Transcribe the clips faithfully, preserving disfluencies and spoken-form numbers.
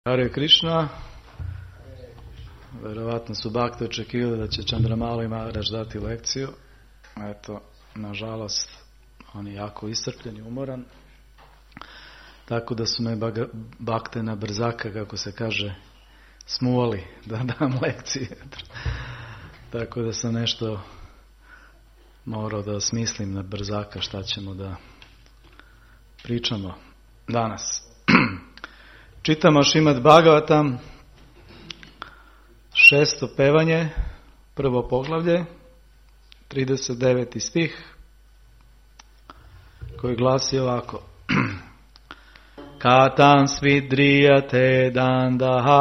Hare Krishna. Verovatno su bakte očekivali da će Čandramali Maharaj dati lekciju. Eto, nažalost, on je jako iscrpljen i umoran. Tako da su me bakte na brzaka, kako se kaže, smuvali da dam lekcije. Tako da sam nešto morao da osmislim na brzaka šta ćemo da pričamo danas. Čitamo Šrimad Bhagavatam, šesto pevanje, prvo poglavlje, trideset deveti stih, koji glasi ovako. Katam svidriyate dandaha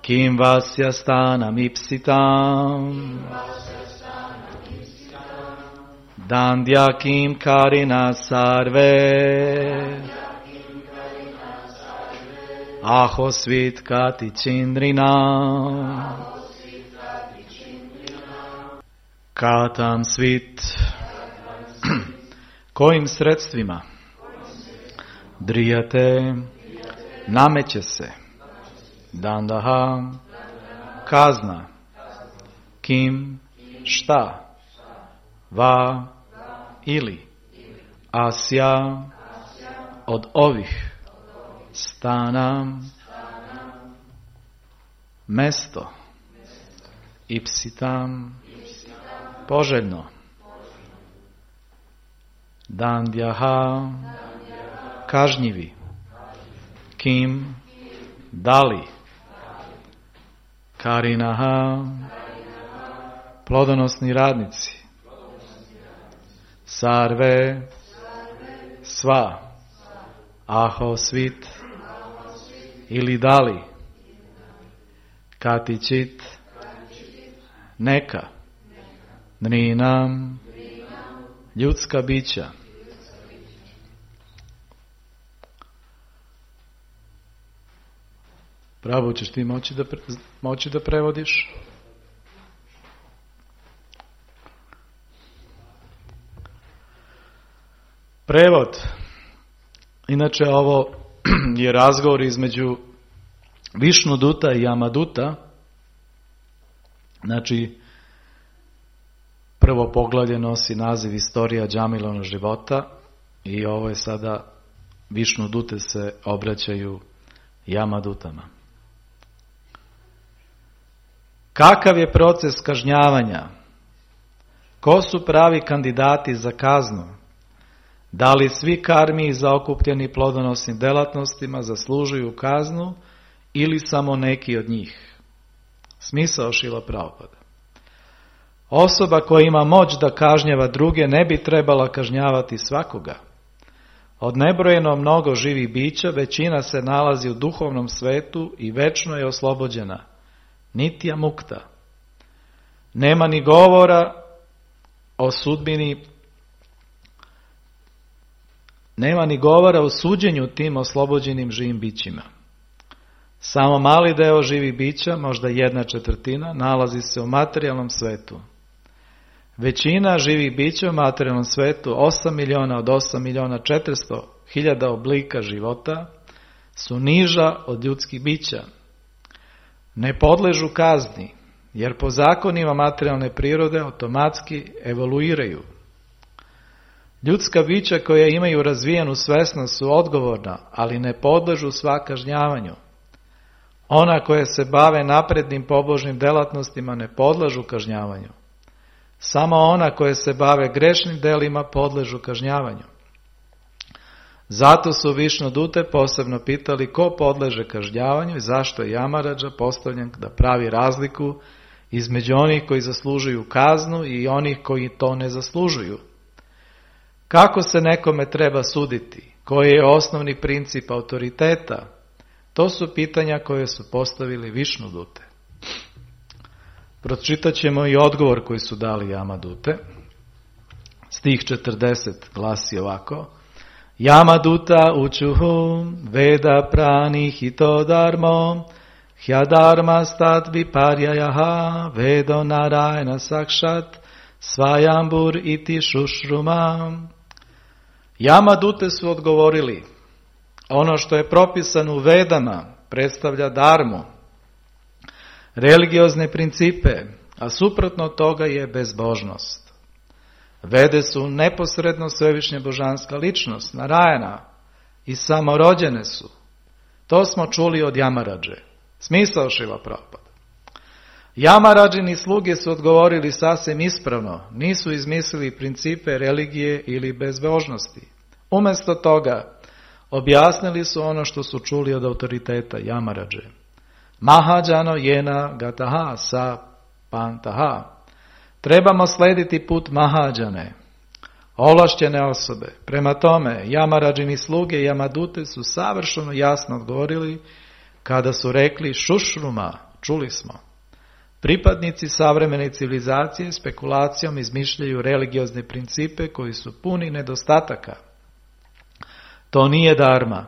kim vasya stanam ipsitam dandya kim karina sarve aho svit kati chindrina katam svit. Kojim sredstvima? Drijate, nameće se. Dandaha, kazna. Kim, šta? Va, ili. Asja, od ovih. Stana, mesto. Ipsitam, poželjno. Dandjaha, kažnjivi. Kim, dali. Karinaha, plodonosni radnici. Sarve, sva. Aho svit, ili dali. Katičit, neka. Nrinam, ljudska bića. Pravo, ćeš ti moći da, pre, moći da prevodiš? Prevod. Inače, ovo je razgovor između Višnuduta i Jamaduta. Znači, prvo poglavlje nosi naziv Istorija Džamilovnog života i ovo je sada Višnudute se obraćaju Jamadutama. Kakav je proces kažnjavanja? Ko su pravi kandidati za kaznu? Da li svi karmi zaokupljeni plodonosnim delatnostima zaslužuju kaznu ili samo neki od njih? Smisao Šrila Prabhupada. Osoba koja ima moć da kažnjava druge ne bi trebala kažnjavati svakoga. Od nebrojeno mnogo živih bića većina se nalazi u duhovnom svetu i večno je oslobođena. Nitya mukta. Nema ni govora o sudbini, nema ni govora o suđenju tim oslobođenim živim bićima. Samo mali deo živih bića, možda jedna četvrtina, nalazi se u materijalnom svetu. Većina živih bića u materijalnom svetu, osam miliona od osam miliona četiristo hiljada oblika života, su niža od ljudskih bića. Ne podležu kazni, jer po zakonima materijalne prirode automatski evoluiraju. Ljudska bića koja imaju razvijenu svesnost su odgovorna, ali ne podležu sva kažnjavanju. Ona koja se bave naprednim pobožnim delatnostima ne podležu kažnjavanju. Samo ona koje se bave grešnim delima podležu kažnjavanju. Zato su Višnudute posebno pitali ko podleže kažnjavanju i zašto je Jamaradža postavljen da pravi razliku između onih koji zaslužuju kaznu i onih koji to ne zaslužuju. Kako se nekome treba suditi? Koji je osnovni princip autoriteta? To su pitanja koje su postavili Višnudute. Pročitat ćemo i odgovor koji su dali Jamadute. Stih četrdeset glasi ovako. Jamaduta učuhu veda prani hito dharmo hyadarma stat viparyayaha vedo narayana sakshat svajambur iti šušruma. Jamadute su odgovorili, ono što je propisano u Vedama predstavlja dharmu, religiozne principe, a suprotno toga je bezbožnost. Vede su neposredno svevišnja božanska ličnost, Narajana, i samorođene su. To smo čuli od Jamaradže. Smisao Šrila Prabhupada. Jamaradžini sluge su odgovorili sasvim ispravno, nisu izmislili principe religije ili bezbožnosti. Umjesto toga, objasnili su ono što su čuli od autoriteta Jamaradže. Mahadžano jena gataha sa pantaha. Trebamo slediti put Mahadžane, ovlašćene osobe. Prema tome, Jamaradžini sluge i Jamadute su savršeno jasno odgovorili kada su rekli šušruma, čuli smo. Pripadnici savremene civilizacije spekulacijom izmišljaju religiozne principe koji su puni nedostataka. To nije dharma.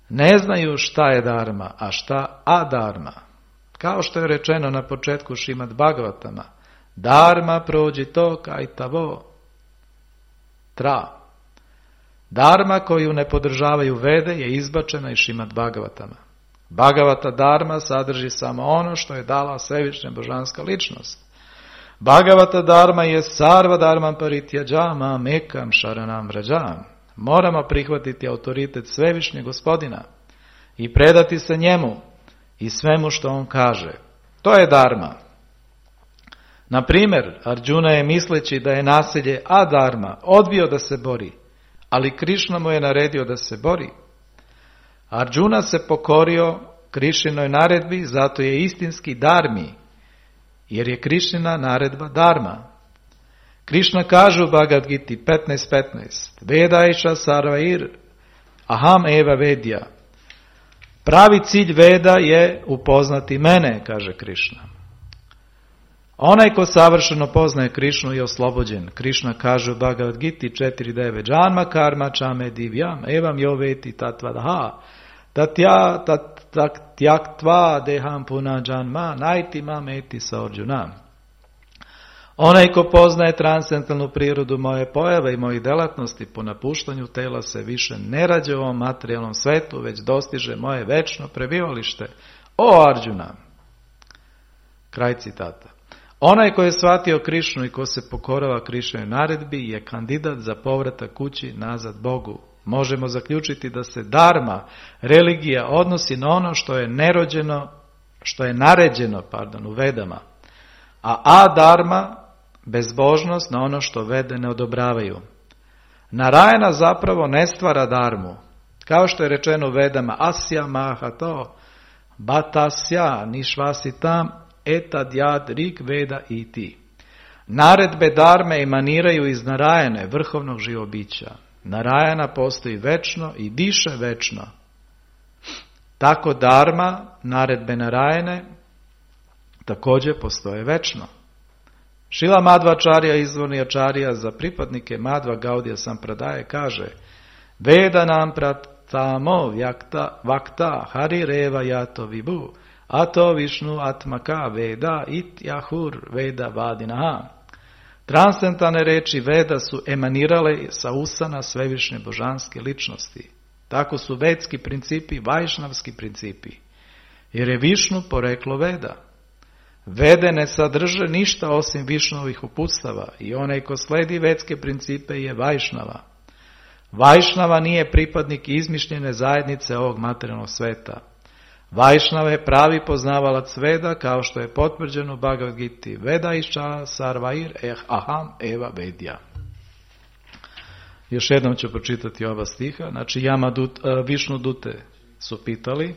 Ne znaju šta je dharma, a šta adharma. Kao što je rečeno na početku Šrimad Bhagavatama, dharma prođi to kaj tavo tra. Dharma koju ne podržavaju Vede je izbačena iz Šrimad Bhagavatama. Bhagavata dharma sadrži samo ono što je dala svevišnja božanska ličnost. Bhagavata dharma je sarva dharmam parityađama mekam šaranam vrađam. Moramo prihvatiti autoritet svevišnjeg gospodina i predati se njemu i svemu što on kaže. To je dharma. Na primjer, Arjuna je misleći da je nasilje adharma odbio da se bori, ali Krišna mu je naredio da se bori. Arjuna se pokorio Krišinoj naredbi, zato je istinski dharmi, jer je Krišina naredba dharma. Krišna kaže u Bhagavad Giti petnaest petnaest, Vedaiša sarvair aham eva vedja. Pravi cilj Veda je upoznati mene, kaže Krišna. Onaj ko savršeno poznaje Krišnu je oslobođen. Krišna kaže u Bhagavad Giti četiri devet, Janma karma čame divjam, evam joveti tatvadha, tatja tatyaktva deham puna janma, najti mam eti sa Arjuna. Onaj ko poznaje transcendentalnu prirodu moje pojave i mojih delatnosti, po napuštanju tela se više ne rađe u ovom materijalnom svetu, već dostiže moje večno prebivalište. O Arjuna! Kraj citata. Onaj ko je shvatio Krišnu i ko se pokorava Krišnoj naredbi je kandidat za povratak kući nazad Bogu. Možemo zaključiti da se dharma, religija, odnosi na ono što je nerođeno, što je naređeno, pardon, u Vedama, a adharma, bezbožnost, na ono što Vede ne odobravaju. Narajana zapravo ne stvara dharmu. Kao što je rečeno u Vedama, asya mahato, batasya nišvasitam, etadjad rig veda iti. Naredbe dharme emaniraju iz Narajane, vrhovnog živobića. Narajana postoji večno i diše večno. Tako dharma, naredbe Narajane, također postoje večno. Šrila Madhvačarya, izvorni ačarija za pripadnike Madhva Gaudija Sampradaje, kaže Veda nam pratamo vjakta, vakta hari reva jato vibu, ato višnu atmaka veda it jahur veda vadinaha. Transcendentalne reči Veda su emanirale sa usana svevišnje božanske ličnosti. Tako su vedski principi vajšnavski principi, jer je Višnu poreklo Veda. Vede ne sadrže ništa osim Višnovih uputstava i onaj ko sledi vedske principe je Vajšnava. Vajšnava nije pripadnik izmišljene zajednice ovog materijalnog sveta. Vajšnava je pravi poznavalac Veda, kao što je potvrđeno u Bhagavad Giti. Vedaiša sarvair eh aham eva vedja. Još jednom ću pročitati ova stiha. Znači, Jamadut, Višnu Dute su pitali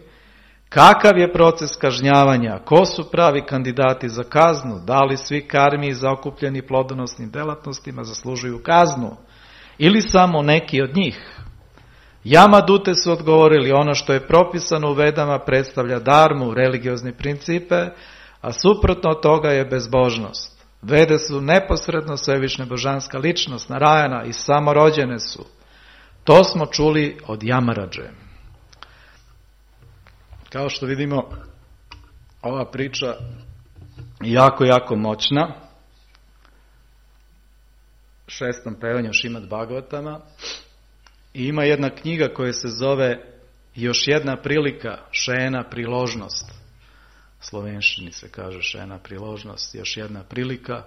kakav je proces kažnjavanja, ko su pravi kandidati za kaznu, da li svi karmi zaokupljeni plodonosnim delatnostima zaslužuju kaznu ili samo neki od njih. Jamadute su odgovorili ono što je propisano u Vedama predstavlja dharmu, religiozne principe, a suprotno od toga je bezbožnost. Vede su neposredno svevišnja božanska ličnost, Narajana, i samorođene su. To smo čuli od Jamaradže. Kao što vidimo, ova priča je jako, jako moćna. šestom pevanju Šrimad Bhagavatama i ima jedna knjiga koja se zove Još jedna prilika, šena priložnost. Slovenščini se kaže šena priložnost, još jedna prilika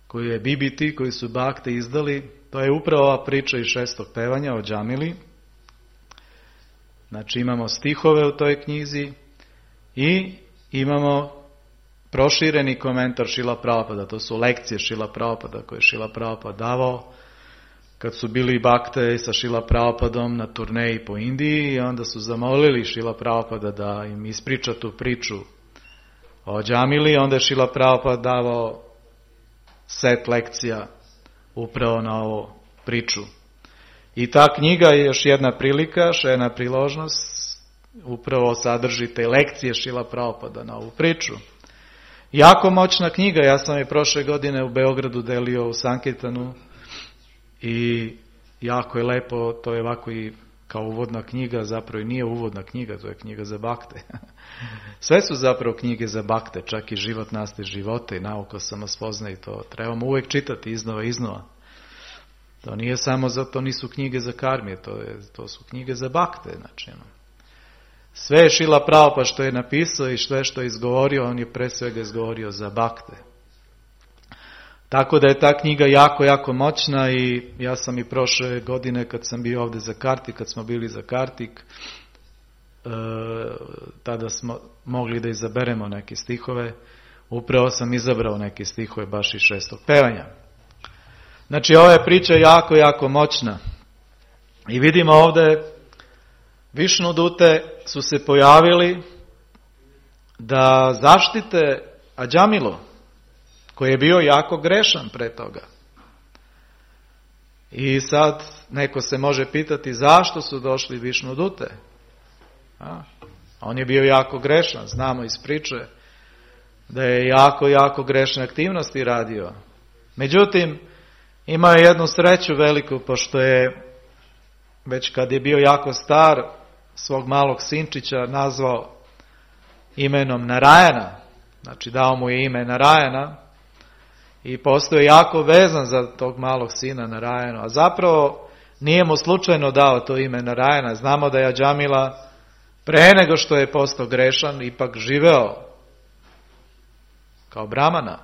koju je B B T, koji su Bhakte izdali. To je upravo ova priča iz šestog pevanja o Džamili. Znači imamo stihove u toj knjizi i imamo prošireni komentar Šrila Prabhupada. To su lekcije Šrila Prabhupada koje je Šrila Prabhupada davao kad su bili Bhakte sa Šrila Prabhupadom na turneji po Indiji i onda su zamolili Šrila Prabhupada da im ispriča tu priču o Džamili. Onda je Šrila Prabhupada davao set lekcija upravo na ovu priču. I ta knjiga je još jedna prilika, šena priložnost, upravo sadrži te lekcije Šrila Prabhupada na ovu priču. Jako moćna knjiga, ja sam je prošle godine u Beogradu delio u Sankirtanu i jako je lepo, to je ovako i kao uvodna knjiga, zapravo i nije uvodna knjiga, to je knjiga za Bhakte. Sve su zapravo knjige za Bhakte, čak i život nastaje života i nauka samospoznaje i to trebamo uvijek čitati iznova i iznova. To nije samo zato, nisu knjige za karmije, to, je, to su knjige za Bhakte. Znači, sve je Šrila Prabhupada što je napisao i sve što je izgovorio, on je pre svega izgovorio za Bhakte. Tako da je ta knjiga jako, jako moćna i ja sam i prošle godine kad sam bio ovdje za Kartik, kad smo bili za Kartik, e, tada smo mogli da izaberemo neke stihove. Upravo sam izabrao neke stihove baš iz šestog pevanja. Znači ova je priča jako, jako moćna. I vidimo ovdje Višnudute su se pojavili da zaštite Adžamilu, koji je bio jako grešan pre toga. I sad neko se može pitati zašto su došli Višnudute. A? On je bio jako grešan, znamo iz priče da je jako, jako grešne aktivnosti radio. Međutim, imao je jednu sreću veliku, pošto je već kad je bio jako star, svog malog sinčića nazvao imenom Narajana. Znači dao mu je ime Narajana i postao je jako vezan za tog malog sina Narajana. A zapravo nije mu slučajno dao to ime Narajana. Znamo da je Adžamila pre nego što je postao grešan ipak živeo kao brahmana.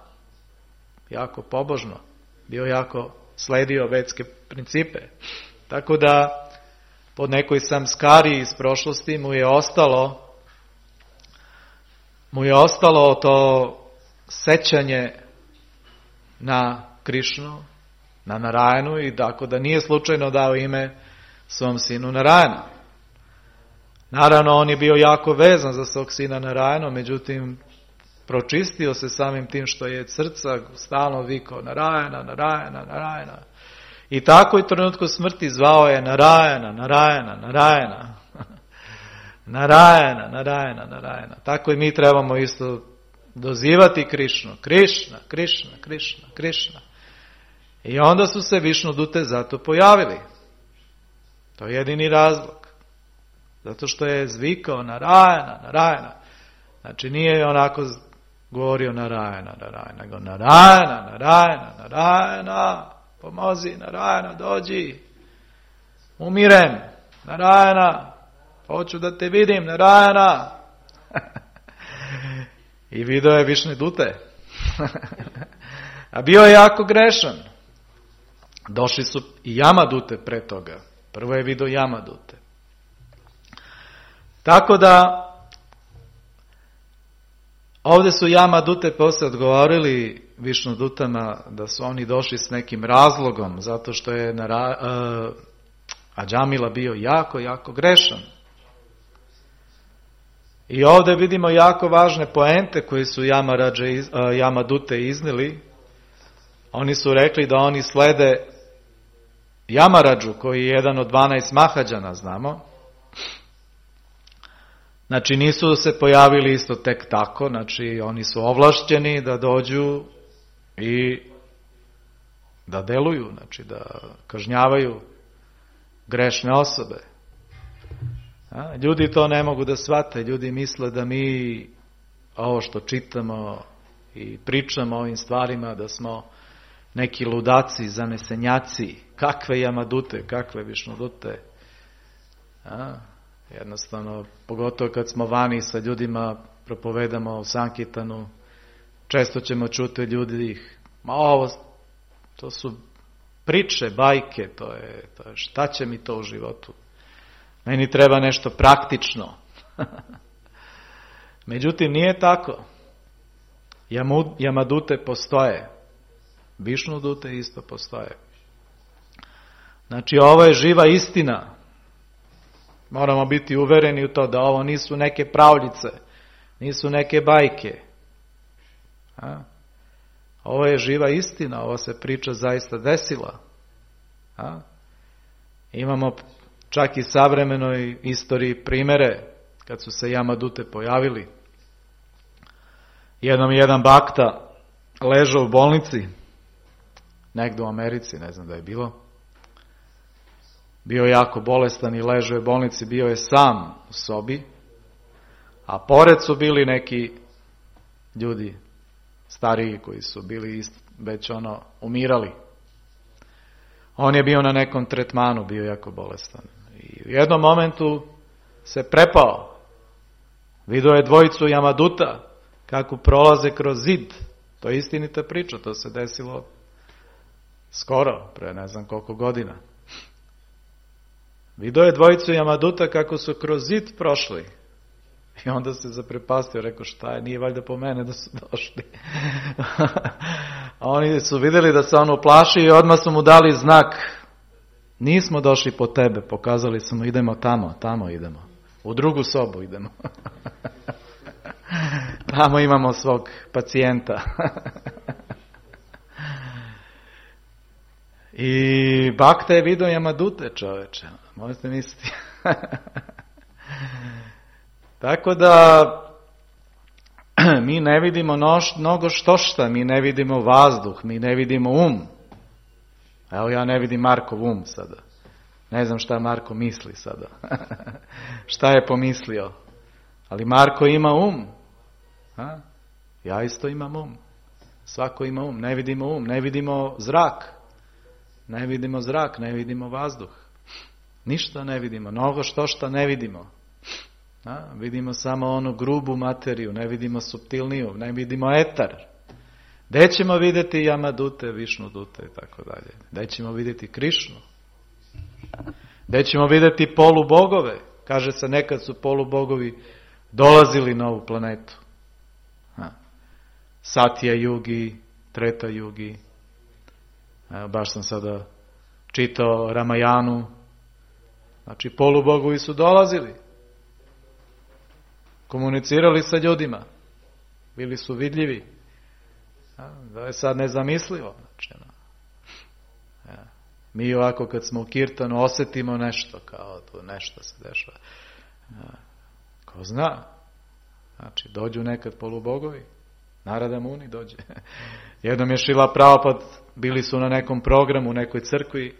Jako pobožno. Bio jako sledio vedske principe. Tako da po nekoj samskari iz prošlosti mu je ostalo mu je ostalo to sećanje na Krišnu, na Narajanu i tako da nije slučajno dao ime svom sinu Narajana. Naravno on je bio jako vezan za svog sina Narajanu, međutim pročistio se samim tim što je srca stalno vikao Narajana, Narajana, Narajana. I tako i trenutku smrti zvao je Narajana, Narajana, Narajana. Narajana, Narajana, Narajana. Tako i mi trebamo isto dozivati Krišnu. Krišna, Krišna, Krišna, Krišna. I onda su se Višnudute zato pojavili. To je jedini razlog. Zato što je zvikao Narajana, Narajana. Znači nije onako govorio Narajana, Narajana, nego Narajana, Narajana, Narajana, pomozi, Narajana, dođi, umirem, Narajana, hoću da te vidim, Narajana. I video je Višnudute. A bio je jako grešan. Došli su i Jamadute pre toga. Prvo je video Jamadute. Tako da ovdje su Jamadute posle odgovorili Višnudutama da su oni došli s nekim razlogom, zato što je Nara, uh, Adžamila bio jako, jako grešan. I ovdje vidimo jako važne poente koje su Yamarađe, uh, Jamadute iznili. Oni su rekli da oni slede Yamarađu, koji je jedan od dvanaest Mahađana, znamo. Znači nisu se pojavili isto tek tako, znači oni su ovlašćeni da dođu i da deluju, znači da kažnjavaju grešne osobe. A, ljudi to ne mogu da shvate, ljudi misle da mi ovo što čitamo i pričamo o ovim stvarima, da smo neki ludaci, zanesenjaci, kakve jamadute, kakve višnudute. A? Jednostavno, pogotovo kad smo vani sa ljudima, propovedamo o Sankirtanu, često ćemo čuti ljudi, ma ovo, to su priče, bajke, to je, to je, šta će mi to u životu? Meni treba nešto praktično. Međutim, nije tako. Jamadute postoje. Višnudute isto postoje. Znači, ovo je živa istina. Moramo biti uvereni u to da ovo nisu neke pravljice, nisu neke bajke. A? Ovo je živa istina, ova se priča zaista desila. A? Imamo čak i savremenoj istoriji primere kad su se jamadute pojavili. Jednom jedan bakta ležao u bolnici, negdje u Americi, ne znam da je bilo. Bio je jako bolestan i ležao je u bolnici, bio je sam u sobi, a pored su bili neki ljudi stariji koji su bili već ono umirali. On je bio na nekom tretmanu, bio jako bolestan. I u jednom momentu se prepao. Vidio je dvojicu jamaduta kako prolaze kroz zid. To je istinita priča, to se desilo skoro, pre ne znam koliko godina. Vidio je dvojicu jamaduta kako su kroz zid prošli. I onda se zaprepastio, rekao šta je, nije valjda po mene da su došli. A oni su vidjeli da se on uplaši i odmah su mu dali znak. Nismo došli po tebe, pokazali su mu idemo tamo, tamo idemo. U drugu sobu idemo. Tamo imamo svog pacijenta. I bakta je vidio jamadute, čoveče. Možete misliti. Tako da mi ne vidimo noš, mnogo što šta, mi ne vidimo vazduh, mi ne vidimo um. Evo ja ne vidim Markov um sada. Ne znam šta Marko misli sada. Šta je pomislio. Ali Marko ima um. A? Ja isto imam um. Svako ima um. Ne vidimo um, ne vidimo zrak. Ne vidimo zrak, ne vidimo vazduh. Ništa ne vidimo, mnogo što šta ne vidimo. A, vidimo samo onu grubu materiju, ne vidimo suptilniju, ne vidimo etar. Gde ćemo vidjeti jamadute, višnudute i tako dalje? Gde ćemo vidjeti Krišnu? Gde ćemo vidjeti polubogove? Kaže se nekad su polubogovi dolazili na ovu planetu. A, Satya Yugi, Treta Yugi. A, baš sam sada čitao Ramajanu. Znači polubogovi su dolazili. Komunicirali sa ljudima. Bili su vidljivi. Da je sad nezamislivo. Znači, no. Ja. Mi ovako kad smo u kirtanu osjetimo nešto, kao tu nešto se dešava. Ja. Ko zna? Znači, dođu nekad polubogovi. Narada Muni dođe. Jednom je Šrila Prabhupada, bili su na nekom programu u nekoj crkvi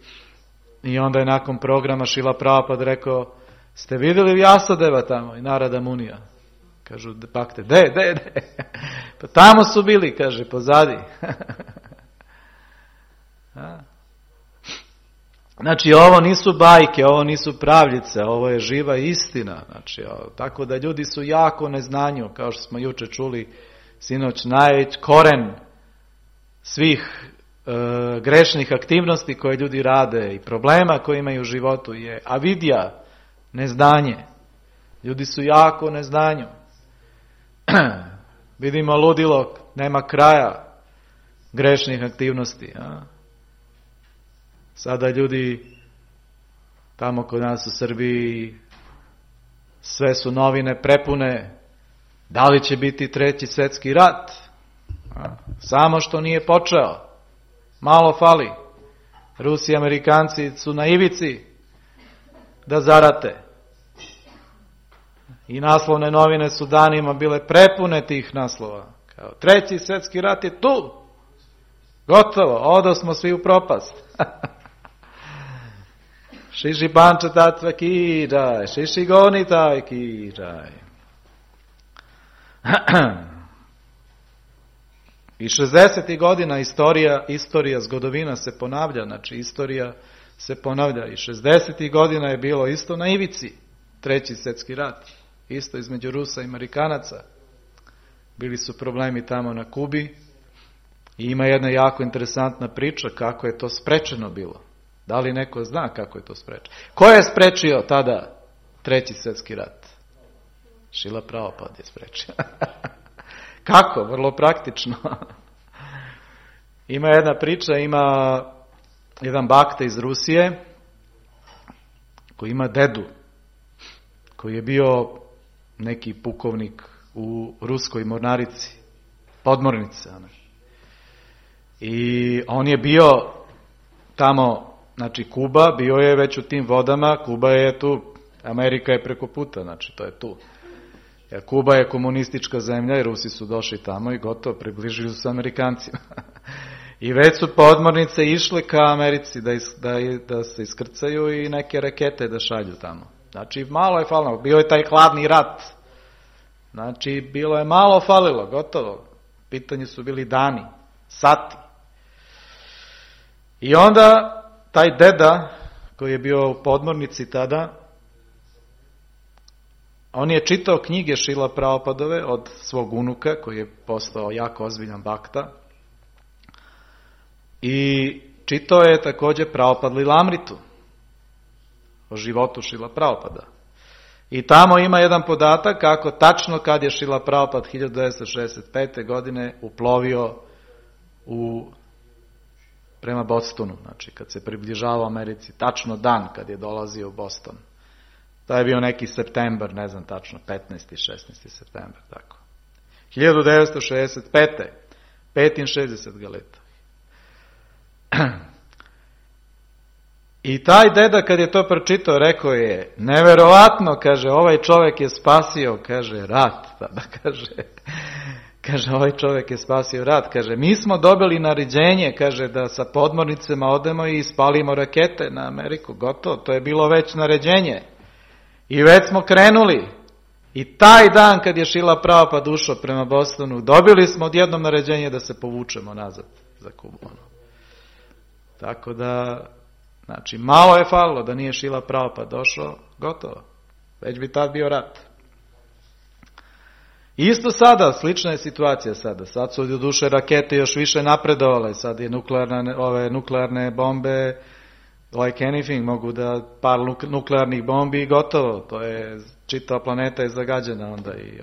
i onda je nakon programa Šrila Prabhupada rekao, ste vidjeli Vyasadeva tamo i Narada Munija? Kažu, bakte, de, de, de. Pa tamo su bili, kaže, pozadi. Znači, ovo nisu bajke, ovo nisu pravljice, ovo je živa istina. Znači, tako da ljudi su jako neznanju, kao što smo juče čuli, sinoć, najveći koren svih e, grešnih aktivnosti koje ljudi rade i problema koje imaju u životu je avidija, neznanje. Ljudi su jako neznanju. Vidimo ludilo, nema kraja grešnih aktivnosti. A? Sada ljudi tamo kod nas u Srbiji sve su novine prepune. Da li će biti treći svjetski rat? A? Samo što nije počeo. Malo fali. Rusi i Amerikanci su na ivici da zarate. I naslovne novine su danima bile prepune tih naslova. Kao, treći svjetski rat je tu. Gotovo, odo smo svi u propast. Šiši panča tatva kiraj, šiši goni taj kiraj. I šezdesetih godina istorija, istorija zgodovina se ponavlja, znači istorija se ponavlja. I šezdesetih godina je bilo isto na ivici, treći svjetski rat, isto između Rusa i Amerikanaca. Bili su problemi tamo na Kubi i ima jedna jako interesantna priča kako je to sprečeno bilo. Da li neko zna kako je to sprečeno? Ko je sprečio tada treći svjetski rat? Šrila Prabhupada je sprečio. Kako? Vrlo praktično. Ima jedna priča, ima jedan bakta iz Rusije koji ima dedu koji je bio neki pukovnik u ruskoj mornarici, podmornice. I on je bio tamo, znači Kuba, bio je već u tim vodama, Kuba je tu, Amerika je preko puta, znači to je tu. Jer Kuba je komunistička zemlja i Rusi su došli tamo i gotovo, približili su se Amerikancima. I već su podmornice išle ka Americi da, is, da, da se iskrcaju i neke rakete da šalju tamo. Znači malo je falilo, bio je taj hladni rat. Znači bilo je malo falilo, gotovo. Pitanje su bili dani, sati. I onda taj deda koji je bio u podmornici tada, on je čitao knjige Šrila Prabhupadove od svog unuka koji je postao jako ozbiljan bakta. I čitao je također Prabhupada Lilamritu o životu Šrila Prabhupada. I tamo ima jedan podatak kako tačno kad je Šrila Prabhupada hiljadu devetsto šezdeset pete. godine uplovio u, prema Bostonu, znači kad se približavao Americi, tačno dan kad je dolazio u Boston. To je bio neki septembar, ne znam tačno, petnaesti šesnaesti septembar, tako. hiljadu devetsto šezdeset pete. petinšezdeset galeta. I taj deda kad je to pročitao, rekao je, neverovatno, kaže, ovaj čovjek je spasio, kaže, rat, tada kaže, kaže, ovaj čovjek je spasio rat, kaže, mi smo dobili naređenje, kaže, da sa podmornicama odemo i ispalimo rakete na Ameriku, gotovo, to je bilo već naređenje. I već smo krenuli. I taj dan kad je Šrila Prabhupada ušao prema Bostonu, dobili smo odjednom naređenje da se povučemo nazad za Kubu. Tako da, znači, malo je falilo da nije Šrila Prabhupada došao, gotovo. Već bi tad bio rat. Isto sada, slična je situacija sada. Sad su do duše rakete još više napredovale. Sad je nuklearne, ove nuklearne bombe, like anything, mogu da par nuklearnih bombi i gotovo. To je, čitava planeta je zagađena onda. I,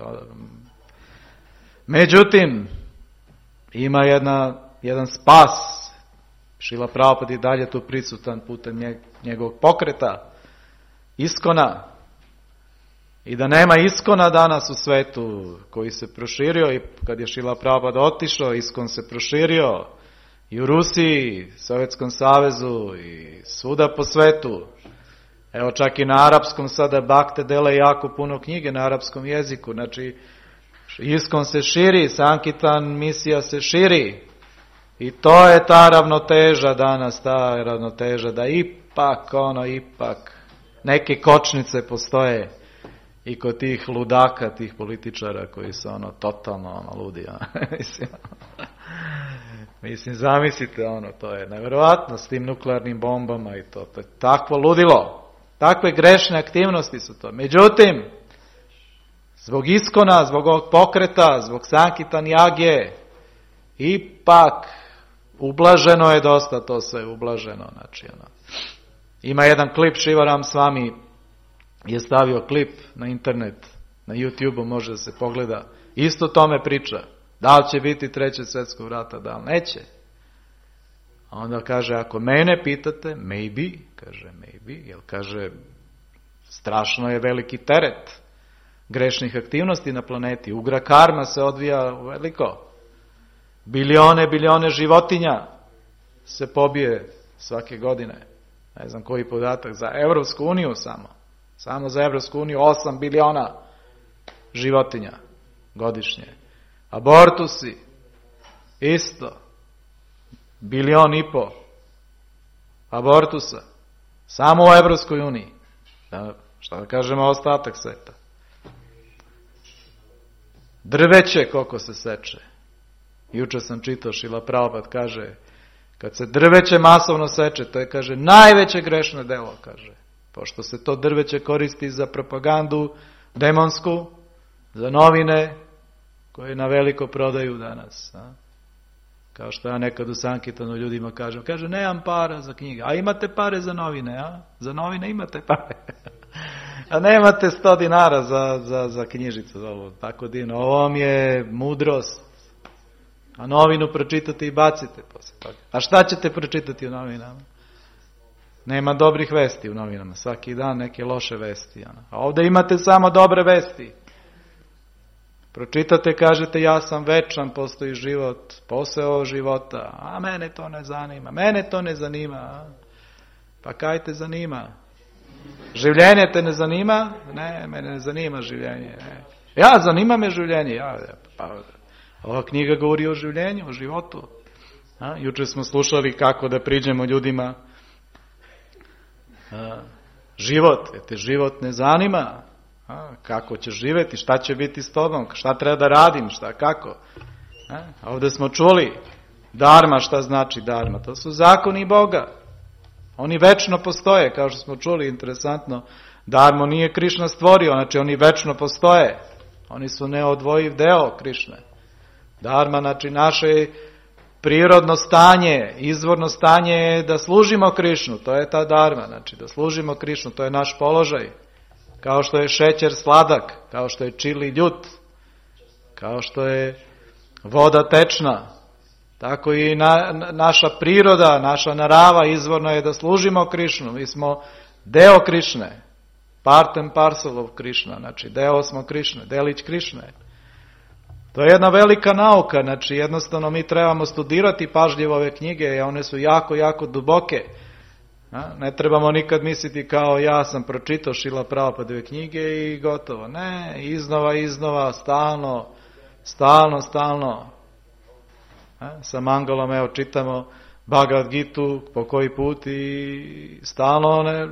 međutim, ima jedna, jedan spas. Šrila Prabhupada je dalje tu prisutan putem njegovog pokreta, Iskona. I da nema Iskona danas u svetu koji se proširio i kad je Šrila Prabhupada otišao, Iskon se proširio i u Rusiji, Sovjetskom savezu i svuda po svetu. Evo čak i na arapskom sada bakte dele jako puno knjige na arapskom jeziku. Znači, Iskon se širi, Sankitan misija se širi. I to je ta ravnoteža danas, ta ravnoteža da ipak, ono, ipak, neke kočnice postoje i kod tih ludaka, tih političara koji su ono, totalno, ono, ludi, ono, mislim, mislim, zamislite, ono, to je nevjerojatno s tim nuklearnim bombama i to, to je takvo ludilo, takve grešne aktivnosti su to. Međutim, zbog Iskona, zbog ovog pokreta, zbog Sankitan Jage, ipak, ublaženo je dosta to sve, ublaženo, znači, ono. Ima jedan klip, Šivaram Swami je stavio klip na internet, na YouTube-u može da se pogleda, isto tome priča, da li će biti treće svjetskog rata, da li neće. A onda kaže, ako mene pitate, maybe, kaže maybe, jer kaže, strašno je veliki teret grešnih aktivnosti na planeti, ugra karma se odvija veliko. Bilione, bilione životinja se pobije svake godine. Ne znam koji podatak, za Evropsku uniju samo. Samo za Evropsku uniju osam biliona životinja godišnje. Abortusi, isto. Bilion i po abortusa. Samo u Evropskoj uniji. Da, šta da kažemo ostatak sveta. Drveće koliko se seče. Juče sam čitao, Šrila Prabhupada kaže, kad se drveće masovno seče, to je, kaže, najveće grešno delo, kaže. Pošto se to drveće koristi za propagandu demonsku, za novine koje na veliko prodaju danas. A? Kao što ja nekad u Sankirtanu ljudima kažem, kaže, nemam para za knjige, a imate pare za novine, a? Za novine imate pare. A nemate sto dinara za, za, za knjižicu. Ovo, tako divno. Ovo vam je mudrost. A novinu pročitate i bacite posle toga. A šta ćete pročitati u novinama? Nema dobrih vesti u novinama. Svaki dan neke loše vesti. Ono. A ovdje imate samo dobre vesti. Pročitate, kažete, ja sam večan, postoji život, posao života. A mene to ne zanima. Mene to ne zanima. A? Pa kaj te zanima? Življenje te ne zanima? Ne, mene ne zanima življenje. Ne. Ja, zanima me življenje. Ja, pa, ova knjiga govori o življenju, o životu. A, juče smo slušali kako da priđemo ljudima. A, život, te život ne zanima. A, kako ćeš živjeti, šta će biti s tobom, šta treba da radim, šta, kako. A, ovdje smo čuli dharma, šta znači dharma. To su zakoni Boga. Oni večno postoje, kao što smo čuli, interesantno. Dharmu nije Krišna stvorio, znači oni večno postoje. Oni su neodvojiv deo Krišne. Dharma, znači naše prirodno stanje, izvorno stanje je da služimo Krišnu, to je ta dharma, znači da služimo Krišnu, to je naš položaj. Kao što je šećer sladak, kao što je čili ljut, kao što je voda tečna, tako i na, naša priroda, naša narava izvorno je da služimo Krišnu. Mi smo deo Krišne, part and parcel of Krišna, znači deo smo Krišne, delić Krišne. To je jedna velika nauka, znači jednostavno mi trebamo studirati pažljivo ove knjige, one su jako, jako duboke. Ne trebamo nikad misliti kao ja sam pročitao Šrila Prabhupadove knjige i gotovo. Ne, iznova, iznova, stalno, stalno, stalno. Sa Mangalom, evo, čitamo Bhagavad Gitu po koji put i stalno ne,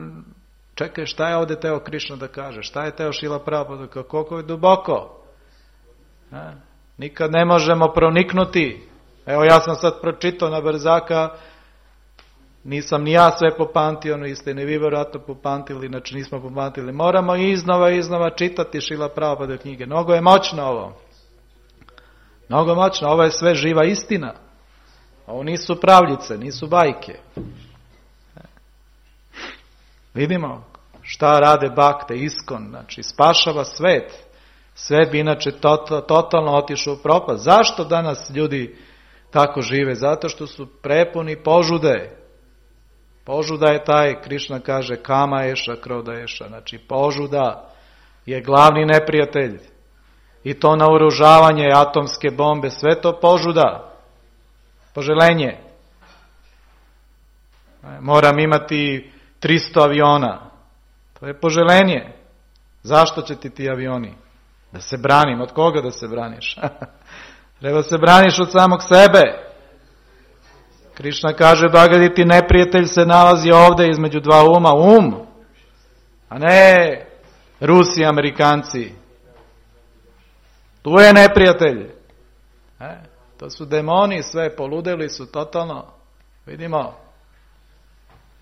čekaj, šta je ovdje teo Krišna da kaže, šta je teo Šrila Prabhupada, koliko je duboko. A? Nikad ne možemo proniknuti. Evo, ja sam sad pročitao na brzaka, nisam ni ja sve popamtio, no iste ni vi vjerojatno popamtili, znači nismo popamtili. Moramo iznova, iznova čitati Šrila Prabhupadove knjige. Mnogo je moćno ovo. Mnogo moćno, ovo je sve živa istina. Ovo nisu pravljice, nisu bajke. Vidimo šta rade bakte, iskon, znači spašava svet. Svet bi inače to, totalno otišao u propast. Zašto danas ljudi tako žive? Zato što su prepuni požude. Požuda je taj, Krišna kaže, kama eša, kroda eša. Znači požuda je glavni neprijatelj. I to naoružavanje, atomske bombe, sve to požuda, poželenje. Moram imati tristo aviona. To je poželenje. Zašto će ti ti avioni? Da se branim. Od koga da se braniš? Treba se braniš od samog sebe. Krišna kaže, Bhagavati, ti neprijatelj se nalazi ovdje između dva uma. Um, a ne Rusi, Amerikanci. Tu je neprijatelj. E, to su demoni, sve poludeli su totalno. Vidimo.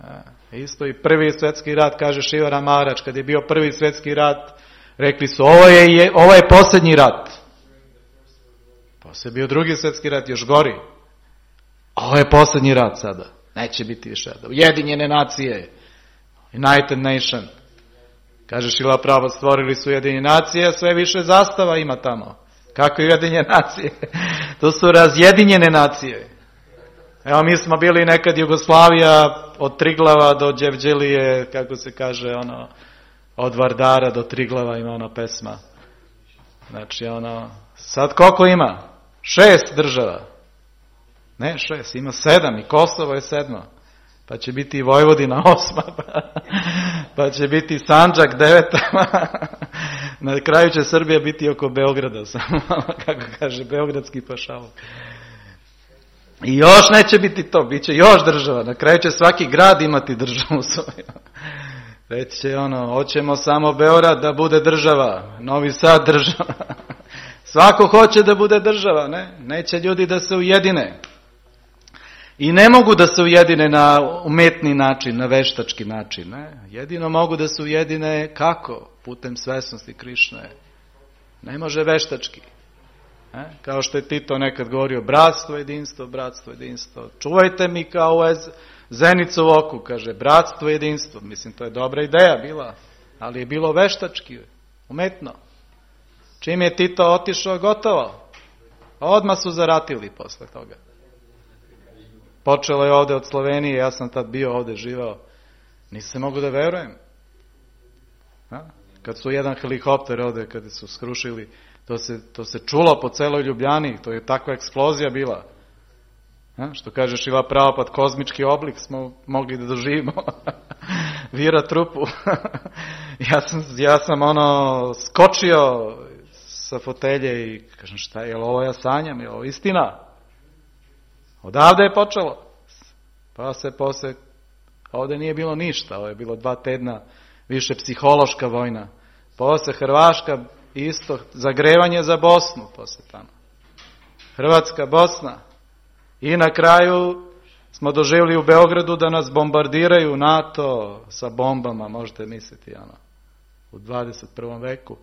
E, isto i prvi svjetski rat, kaže Šivara Maharač, kad je bio prvi svjetski rat, rekli su, ovo je, ovo je posljednji rat. Poslije je bio drugi svjetski rat, još gori. Ovo je posljednji rat sada. Neće biti više. Ujedinjene nacije. United Nation. Kaže Šrila Prabhupada, stvorili su Ujedinjene nacije, sve više zastava ima tamo. Kako je Ujedinjene nacije? To su razjedinjene nacije. Evo, mi smo bili nekad Jugoslavija od Triglava do Đevđelije, kako se kaže, ono, od Vardara do Triglava ima ona pesma. Znači, ono, sad koliko ima? Šest država. Ne, šest, ima sedam i Kosovo je sedmo. Pa će biti i Vojvodina osma, pa, pa će biti Sandžak deveta, na kraju će Srbija biti oko Beograda, samo kako kaže, beogradski pašaluk. I još neće biti to, bit će još država, na kraju će svaki grad imati državu svoju. Reći će ono, hoćemo samo Beograd da bude država, Novi Sad država, Svako hoće da bude država, ne? Neće ljudi da se ujedine. I ne mogu da se ujedine na umetni način, na veštački način, ne? Jedino mogu da se ujedine kako? Putem svesnosti Krišne. Ne može veštački. Ne? Kao što je Tito nekad govorio, bratstvo, jedinstvo, bratstvo, jedinstvo. Čuvajte mi kao zenicu u oku, kaže, bratstvo, jedinstvo. Mislim, to je dobra ideja bila, ali je bilo veštački, umetno. Čim je Tito otišao, gotovo. Odmah su zaratili posle toga. Počelo je ovde od Slovenije, ja sam tad bio ovde živao. Nisam mogu da verujem. A? Kad su jedan helikopter ovde, kada su skrušili, to se, to se čulo po celoj Ljubljani, to je takva eksplozija bila. A? Što kaže Šila Prabhupada, kozmički oblik smo mogli da doživimo. Vira trupu. ja, sam, ja sam ono skočio sa fotelje i kažem, šta je, je li ovo ja sanjam, je li ovo istina? Odavde je počelo. Pa se posle, ovde nije bilo ništa, ovo je bilo dva tedna više psihološka vojna. Posle Hrvaška isto, zagrevanje za Bosnu posle tamo. Hrvatska, Bosna. I na kraju smo doživjeli u Beogradu da nas bombardiraju NATO sa bombama, možete misliti, ano, u dvadeset prvom veku.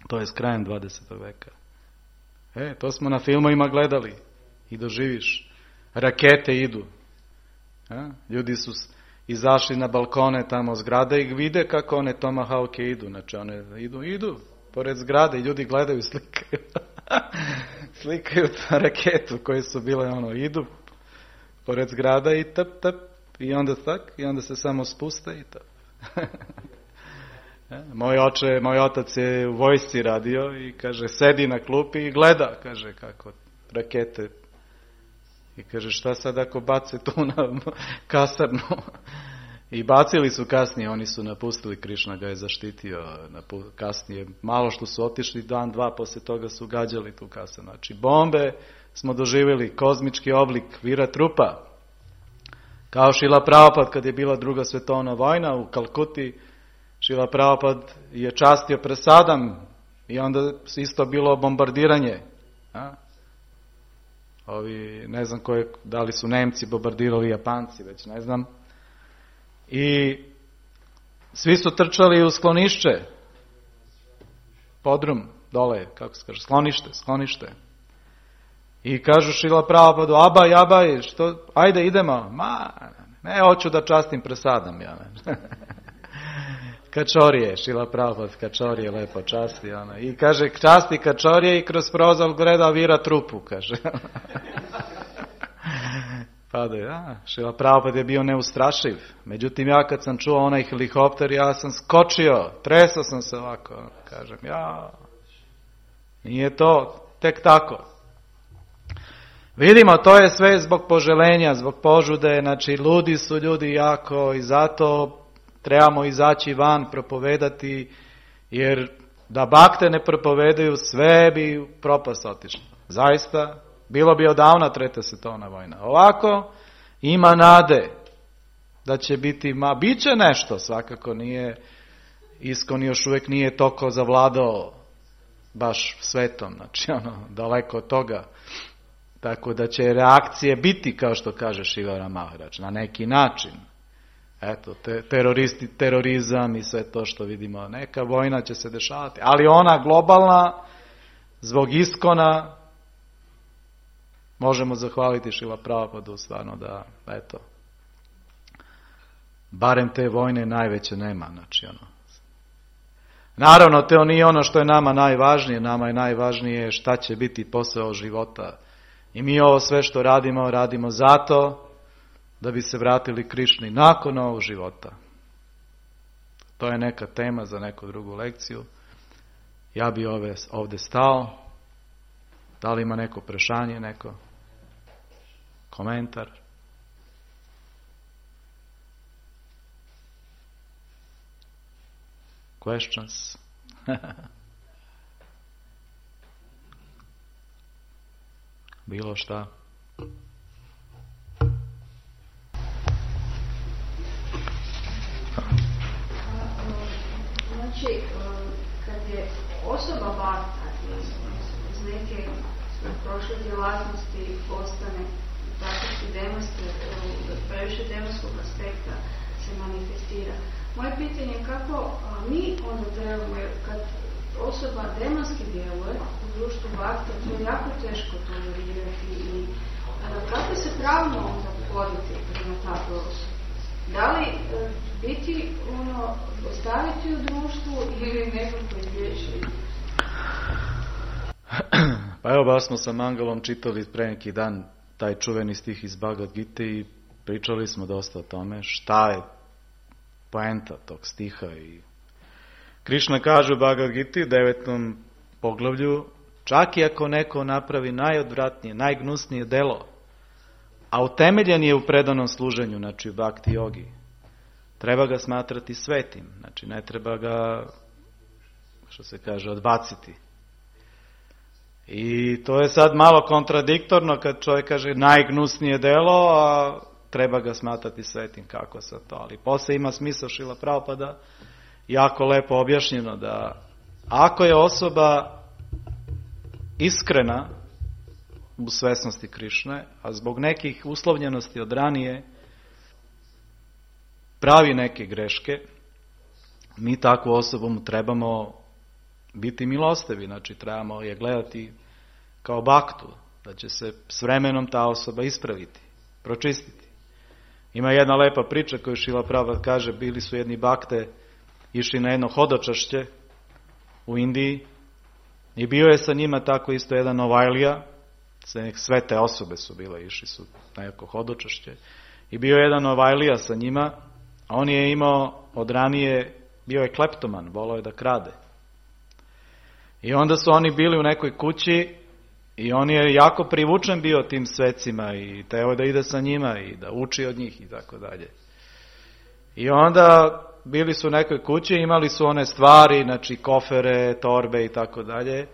To je s krajem dvadesetog veka. E, to smo na filmovima gledali. I doživiš. Rakete idu. A? Ljudi su izašli na balkone tamo zgrade i vide kako one tomahawke idu. Znači one idu, idu pored zgrade i ljudi gledaju, slikaju. Slikaju ta raketu koje su bile, ono, idu pored zgrada i tap, tap. I onda tak, i onda se samo spuste i tap. Moj oče, moj otac je u vojsci radio i kaže, sedi na klupi i gleda, kaže, kako rakete. I kaže, šta sad ako bace tu na kasarnu? I bacili su kasnije, oni su napustili, Krišna ga je zaštitio kasnije. Malo što su otišli, dan, dva, posle toga su gađali tu kasarnu. Znači, bombe smo doživjeli, kozmički oblik, vira trupa. Kao Šila Prabhupada, kad je bila druga svetovna vojna u Kalkuti, Šila Prabhupada je častio presadam i onda isto bilo bombardiranje. A? Ovi, ne znam koje, da li su Nemci bombardirali, Japanci, već ne znam. I svi su trčali u sklonišće. Podrum, dole, kako se kaže, sklonište, sklonište. I kažu Šila Prabhupadu, abaj, abaj, što, ajde idemo. Ma, ne, hoću da častim presadam, ja ne. Kačorije, Šila Prabhupada, kačorije lepo časti, ona. I kaže, časti kačorije i kroz prozor gleda, vira trupu, kaže. Pa da, ja, Šila Prabhupada je bio neustrašiv. Međutim, ja kad sam čuo onaj helikopter, ja sam skočio, tresao sam se ovako, kažem, ja, nije to tek tako. Vidimo, to je sve zbog poželenja, zbog požude, znači, ludi su ljudi jako i zato trebamo izaći van, propovedati, jer da bakte ne propovedaju, sve bi propast otišlo. Zaista, bilo bi odavna treta svetovna vojna. Ovako, ima nade da će biti, ma, bit će nešto, svakako nije, Iskon još uvijek nije toliko zavladao baš svetom, znači ono, daleko od toga. Tako da će reakcije biti, kao što kaže Šivara Maharač, na neki način. Eto, te, teroristi, terorizam i sve to što vidimo, neka vojna će se dešavati, ali ona globalna, zbog Iskona, možemo zahvaliti Šila Prabhupadu stvarno da, eto, barem te vojne najveće nema, znači ono. Naravno, to nije ono što je nama najvažnije, nama je najvažnije šta će biti posao života. I mi ovo sve što radimo, radimo zato da bi se vratili Krišni nakon ovog života. To je neka tema za neku drugu lekciju. Ja bi ove, ovdje stao. Da li ima neko prešanje, neko komentar? Questions? Bilo šta? Znači, kad kad je osoba bakta iz, iz neke prošle djelatnosti postane praktički demonske, previše demonskog aspekta se manifestira. Moje pitanje je kako a, mi onda trebamo, jer kad osoba demonski djeluje u društvu bakta, to je jako teško tolerirati i a, kako se pravno onda pogoditi prema takvoj osobi? Da li a, biti, ono, ostaviti u društvu ili nekako izvješiti? Pa evo, baš smo sa Mangalom čitali pre neki dan taj čuveni stih iz Bhagavad Gite i pričali smo dosta o tome šta je poenta tog stiha. I Krišna kaže u Bhagavad Giti, devetom poglavlju, čak i ako neko napravi najodvratnije, najgnusnije delo, a utemeljen je u predanom služenju, znači u bhakti jogi, treba ga smatrati svetim, znači ne treba ga, što se kaže, odbaciti. I to je sad malo kontradiktorno kad čovjek kaže najgnusnije delo, a treba ga smatrati svetim, kako sad to. Ali posle ima smisao Šrila Prabhupada, jako lepo objašnjeno da ako je osoba iskrena u svesnosti Krišne, a zbog nekih uslovljenosti od ranije pravi neke greške, mi takvu osobu mu trebamo biti milostivi, znači trebamo je gledati kao baktu, da će se s vremenom ta osoba ispraviti, pročistiti. Ima jedna lepa priča koju Šrila Prabhupada kaže, bili su jedni bakte išli na jedno hodočašće u Indiji i bio je sa njima tako isto jedan Novajlija, sve te osobe su bile, išli su na neko hodočašće i bio je jedan Novajlija sa njima, a on je imao od ranije, bio je kleptoman, volao je da krade. I onda su oni bili u nekoj kući i on je jako privučen bio tim svecima i teo da ide sa njima i da uči od njih i tako dalje. I onda bili su u nekoj kući, imali su one stvari, znači kofere, torbe i tako dalje.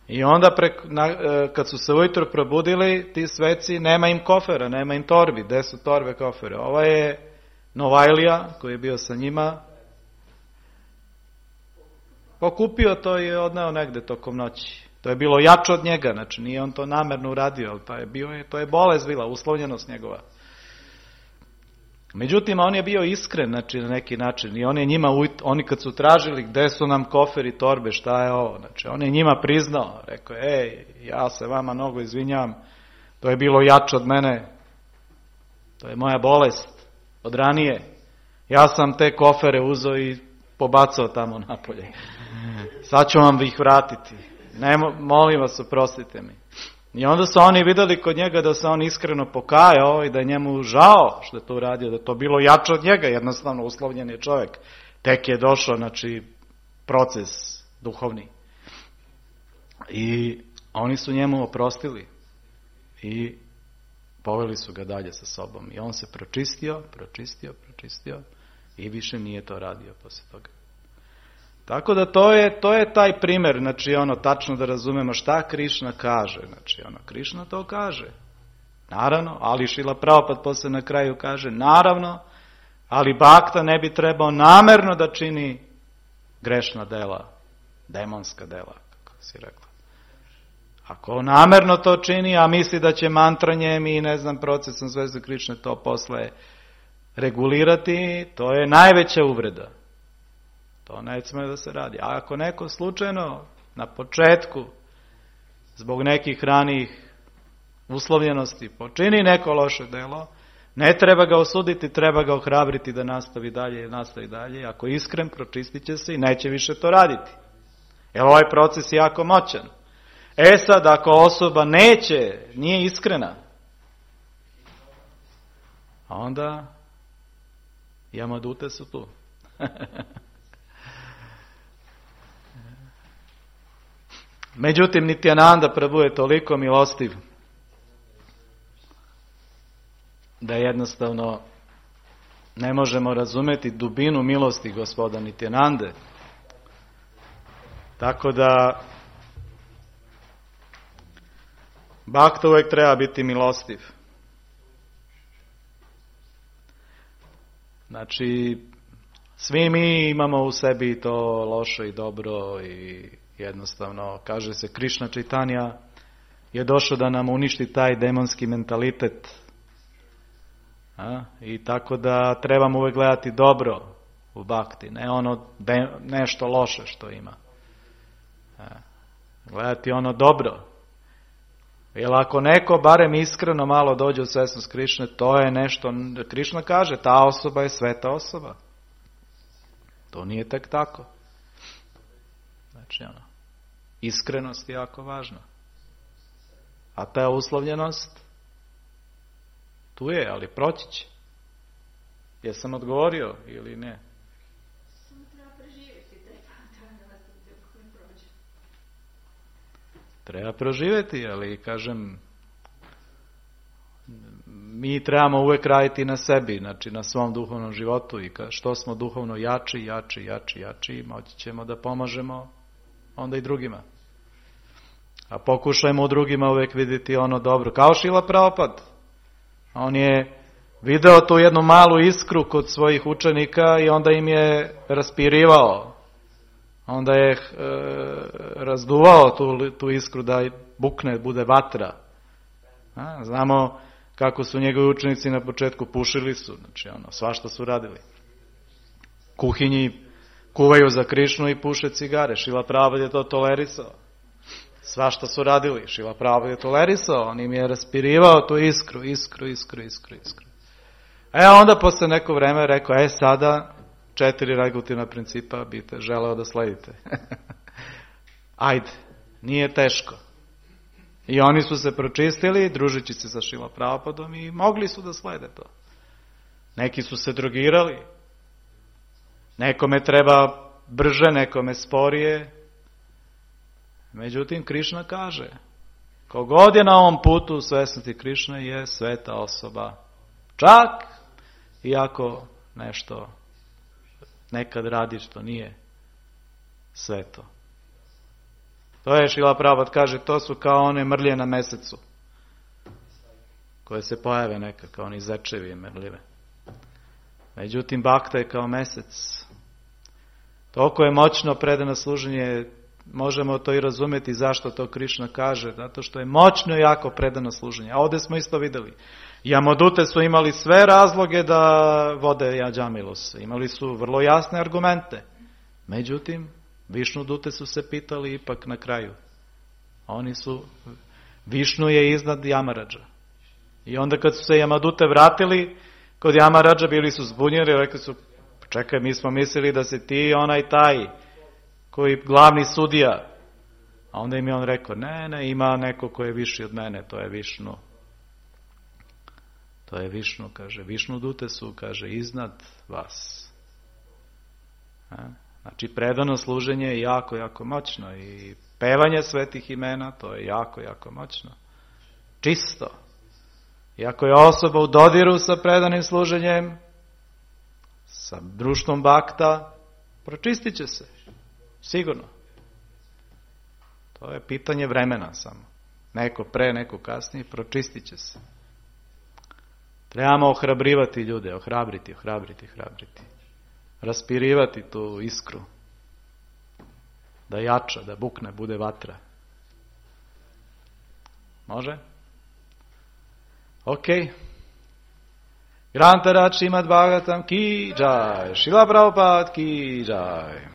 I onda prek, na, kad su se ujutro probudili, ti sveci, nema im kofera, nema im torbi. Gde su torbe, kofere? Ova je Novajlija koji je bio sa njima, pokupio to i je odneo negde tokom noći. To je bilo jače od njega, znači nije on to namerno uradio, ali to je, bio, to je bolest bila, uslovljenost njegova. Međutim, on je bio iskren, znači na neki način, i on je njima, oni kad su tražili gde su nam koferi, torbe, šta je ovo, znači on je njima priznao, rekao je, ej, ja se vama mnogo izvinjam, to je bilo jače od mene, to je moja bolest od ranije, ja sam te kofere uzeo i pobacao tamo napolje, sad ću vam ih vratiti, ne, molim vas, oprostite mi. I onda su oni vidjeli kod njega da se on iskreno pokajao i da je njemu žao što je to uradio, da je to bilo jače od njega, jednostavno uslovljen je čovjek. Tek je došao, znači, proces duhovni. I oni su njemu oprostili i poveli su ga dalje sa sobom. I on se pročistio, pročistio, pročistio i više nije to radio poslije toga. Tako da to je, to je taj primjer, znači ono, tačno da razumemo šta Krišna kaže, znači ono, Krišna to kaže, naravno, ali Šrila Prabhupada poslije na kraju kaže, naravno, ali bakta ne bi trebao namerno da čini grešna dela, demonska dela, kako si rekla. Ako namerno to čini, a misli da će mantranjem i ne znam, procesom Zvezde Krišne to posle regulirati, to je najveća uvreda. To ne sme da se radi. A ako neko slučajno na početku zbog nekih ranijih uslovljenosti počini neko loše delo, ne treba ga osuditi, treba ga ohrabriti da nastavi dalje, nastavi dalje. Ako je iskren, pročistit će se i neće više to raditi. Jer ovaj proces je jako moćan. E sad, ako osoba neće, nije iskrena, a onda jamadute su tu. Međutim, Nityananda Prabhu je toliko milostiv da jednostavno ne možemo razumjeti dubinu milosti gospoda Nityanande. Tako da bhakta uvijek treba biti milostiv. Znači, Svi mi imamo u sebi to loše i dobro i jednostavno, kaže se, Krišna Čajtanja je došao da nam uništi taj demonski mentalitet. A? I tako da trebamo uvijek gledati dobro u bhakti, ne ono de, nešto loše što ima. A? Gledati ono dobro. Jer ako neko barem iskreno malo dođe u svesnost Krišne, to je nešto, Krišna kaže, ta osoba je sveta osoba. To nije tek tako. Znači, ono, iskrenost je jako važna. A ta uslovljenost, tu je, ali proći će. Jesam odgovorio ili ne? Samo treba preživjeti taj razdoblje dok ne prođe. Treba proživjeti, ali kažem, mi trebamo uvijek raditi na sebi, znači na svom duhovnom životu i što smo duhovno jači, jači, jači, jači, moći ćemo da pomažemo onda i drugima. A pokušajmo u drugima uvijek vidjeti ono dobro. Kao Šrila Prabhupada. On je video tu jednu malu iskru kod svojih učenika i onda im je raspirivao. Onda je e, razduvao tu, tu iskru da bukne, bude vatra. A, znamo kako su njegovi učenici na početku pušili su, znači ono, svašta su radili. Kuhinji kuvaju za Krišnu i puše cigare. Šrila Prabhupada je to tolerisao. Svašta su radili. Šrila Prabhupada je tolerisao. On im je raspirivao tu iskru, iskru, iskru, iskru, iskru. E onda posle neko vreme rekao, e sada četiri regulativna principa bite želeo da sledite. Ajde, nije teško. I oni su se pročistili, družići se sa Šrila Prabhupadom i mogli su da slede to. Neki su se drogirali. Nekome treba brže, nekome sporije. Međutim, Krišna kaže, kogod je na ovom putu u svesnosti Krišne je sveta osoba. Čak iako nešto nekad radi što nije sveto. To je, Šrila Prabhupada kaže, to su kao one mrlje na mesecu, koje se pojave neka, kao oni zečevi mrljive. Međutim, bhakta je kao mesec. Toliko je moćno predano služenje, možemo to i razumjeti zašto to Krišna kaže, zato što je moćno i jako predano služenje. A ovdje smo isto vidjeli. Jamadute su imali sve razloge da vode Jađamilus. Imali su vrlo jasne argumente. Međutim, Višnu dute su se pitali ipak na kraju. Oni su, Višnu je iznad Jamaradža. I onda kad su se Jamadute vratili kod Jamaradža, bili su zbunjeni, rekli su, čekaj, mi smo mislili da si ti onaj taj koji glavni sudija. A onda im je on rekao, ne, ne, ima neko ko je viši od mene, to je Višnu. To je Višnu, kaže, Višnu dute su, kaže, iznad vas. A? Znači, predano služenje je jako, jako moćno i pevanje svetih imena, to je jako, jako moćno. Čisto. I ako je osoba u dodiru sa predanim služenjem, sa društvom bhakta, pročistit će se. Sigurno. To je pitanje vremena samo. Neko pre, neko kasnije, pročistit će se. Trebamo ohrabrivati ljude, ohrabriti, ohrabriti, ohrabriti. Raspirivati tu iskru. Da jača, da bukne, bude vatra. Može? Ok. Grantarač Šrimad Bhagavatam ki jai. Šrila Prabhupada ki jai.